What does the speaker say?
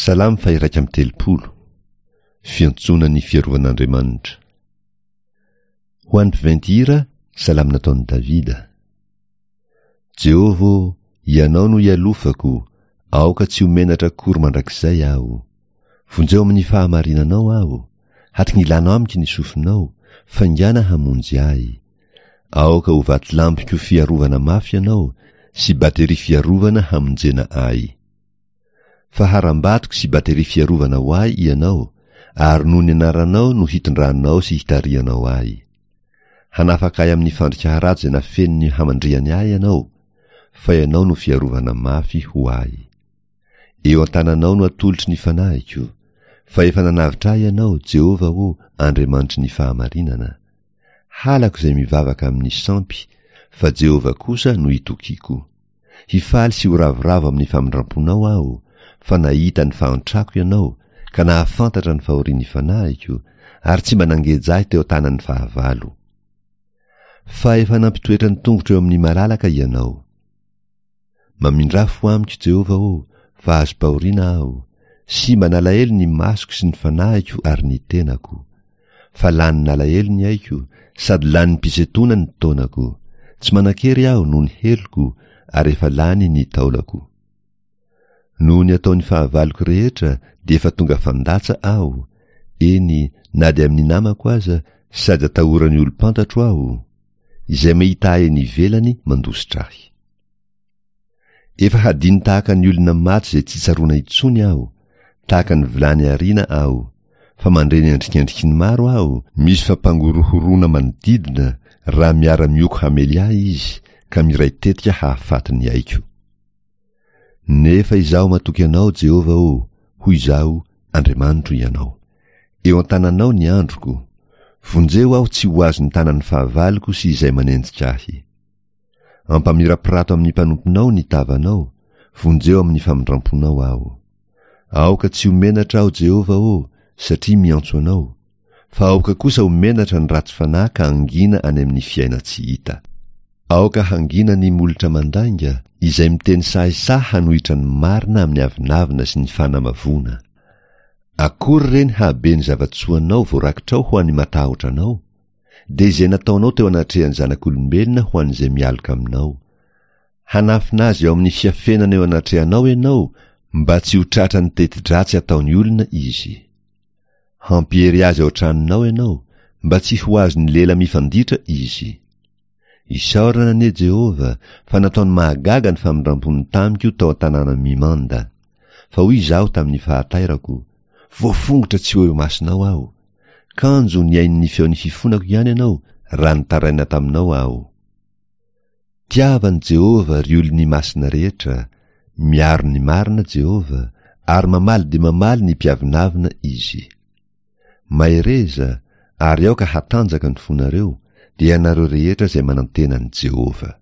Salamo faha-31, Fiantsoana ny fiarovan'Andriamanitra. Ho an'ny mpiventy hira, salamo nataon'i Davida. Jehovah ô, Ianao no ialofako, aoka tsy ho menatra akory mandrakizay aho. Vonjeo amin'ny fahamarinanao aho, hatingilano amiko ny sofinao, faingàna hamonjy ahy. Aoka ho vatolampiko fiarovana mafy Ianao, sy bateria fiarovana hamonjena ahy. Fa harambatoko sy bateria fiarovana ho ahy Ianao, ary noho ny anaranao no hitondranao sy hitarihanao ahy. Hanafaka ahy amin'ny fandrika harato izay nafeniny hamandrihany ahy Ianao, fa Ianao no fiarovana mafy ho ahy. Eo an-tananao no atolotro ny fanahiko, fa efa nanavotra ahy Ianao, Jehovah ô, Andriamanitry ny fahamarinana. Halako izay mivavaka amin'ny sampy, fa Jehovah kosa no itokiako. Hifaly sy ho ravoravo amin'ny famindram-ponao aho, fa nahita ny fahantrako Ianao, ka nahafantatra ny fahorian'ny fanahiko, ary tsy mba nangeja ahy teo an-tanan'ny fahavalo. Fa efa nampitoetra ny tongotro eo amin'ny malalaka Ianao. Mamindrà fo amiko, Jehovah ô, fa azom-pahoriana aho, simba nalahelo ny masoko sy ny fanahiko ary ny tenako. Fa lanin'alahelo ny aiko, sady lanim-pisentoana ny taonako. Tsy manan-kery aho noho ny heloko, ary efa lany ny taolako. Noho ny ataon'ny fahavaloko rehetra dia efa tonga fandatsa aho, eny, na dia amin'ny namako aza, sady atahoran'ny olom-pantatro aho, izay mahita ahy eny ivelany mandositra ahy. Efa hadino tahaka ny olona maty izay tsy tsaroana intsony aho, tahaka ny vilany ariana aho, fa mandre ny endrikendriky ny maro aho, misy fampangorohoroana manodidina raha miara-mioko hamely ahy izy ka miray tetika hahafaty ny aiko. Nefa izaho matoky Anao, Jehovah ô, hoy izaho, Andriamanitro Ianao. Eo an-tananao ny androko. Vonjeo aho tsy ho azon'ny tanan'ny fahavaloko sy izay manenjika ahy. Ampamirapirato amin'ny mpanomponao ny tavanao, vonjeo amin'ny famindram-ponao aho. Aoka tsy ho menatra aho, Jehovah ô, satria miantso Anao, fa aoka kosa ho menatra ny ratsy fanahy ka hangina any amin'ny fiainan-tsy hita. Aoka hangina ny molotra mandainga, izay miteny sahisahy hanohitra ny marina amin'ny avonavona sy ny fanamavoana. Akory re ny hahabe ny zava-tsoanao voarakitrao ho an'ny matahotra Anao! dia izay nataonao teo anatrehan'ny zanak'olombelona ho an'izay mialoka aminao. Hanafina azy ao amin'ny fiafenana eo anatrehanao ianao mba tsy ho tratran'ny teti-dratsy ataon'ny olona izy. Hampiery azy ao an-tranonao ianao mba tsy ho azon'ny lela mifanditra izy. Isaorana anie Jehovah fa nataony mahagaga ny famindram-pony tamiko tao an-tanàna mimanda. Fa hoy izaho tamin'ny fahatairako, Voafongotra tsy ho eo imasonao aho. Kanjo nihaino ny feon'ny fifonako ihany ianao raha nitaraina taminao aho. Tiava an'i Jehovah, ry olony masina rehetra, miaro ny marina Jehovah, ary mamaly dia mamaly ny mpiavonavona Izy. Mahereza, ary aoka hatanjaka ny fonareo, dia ianareo rehetra izay manantena an'i Jehovah.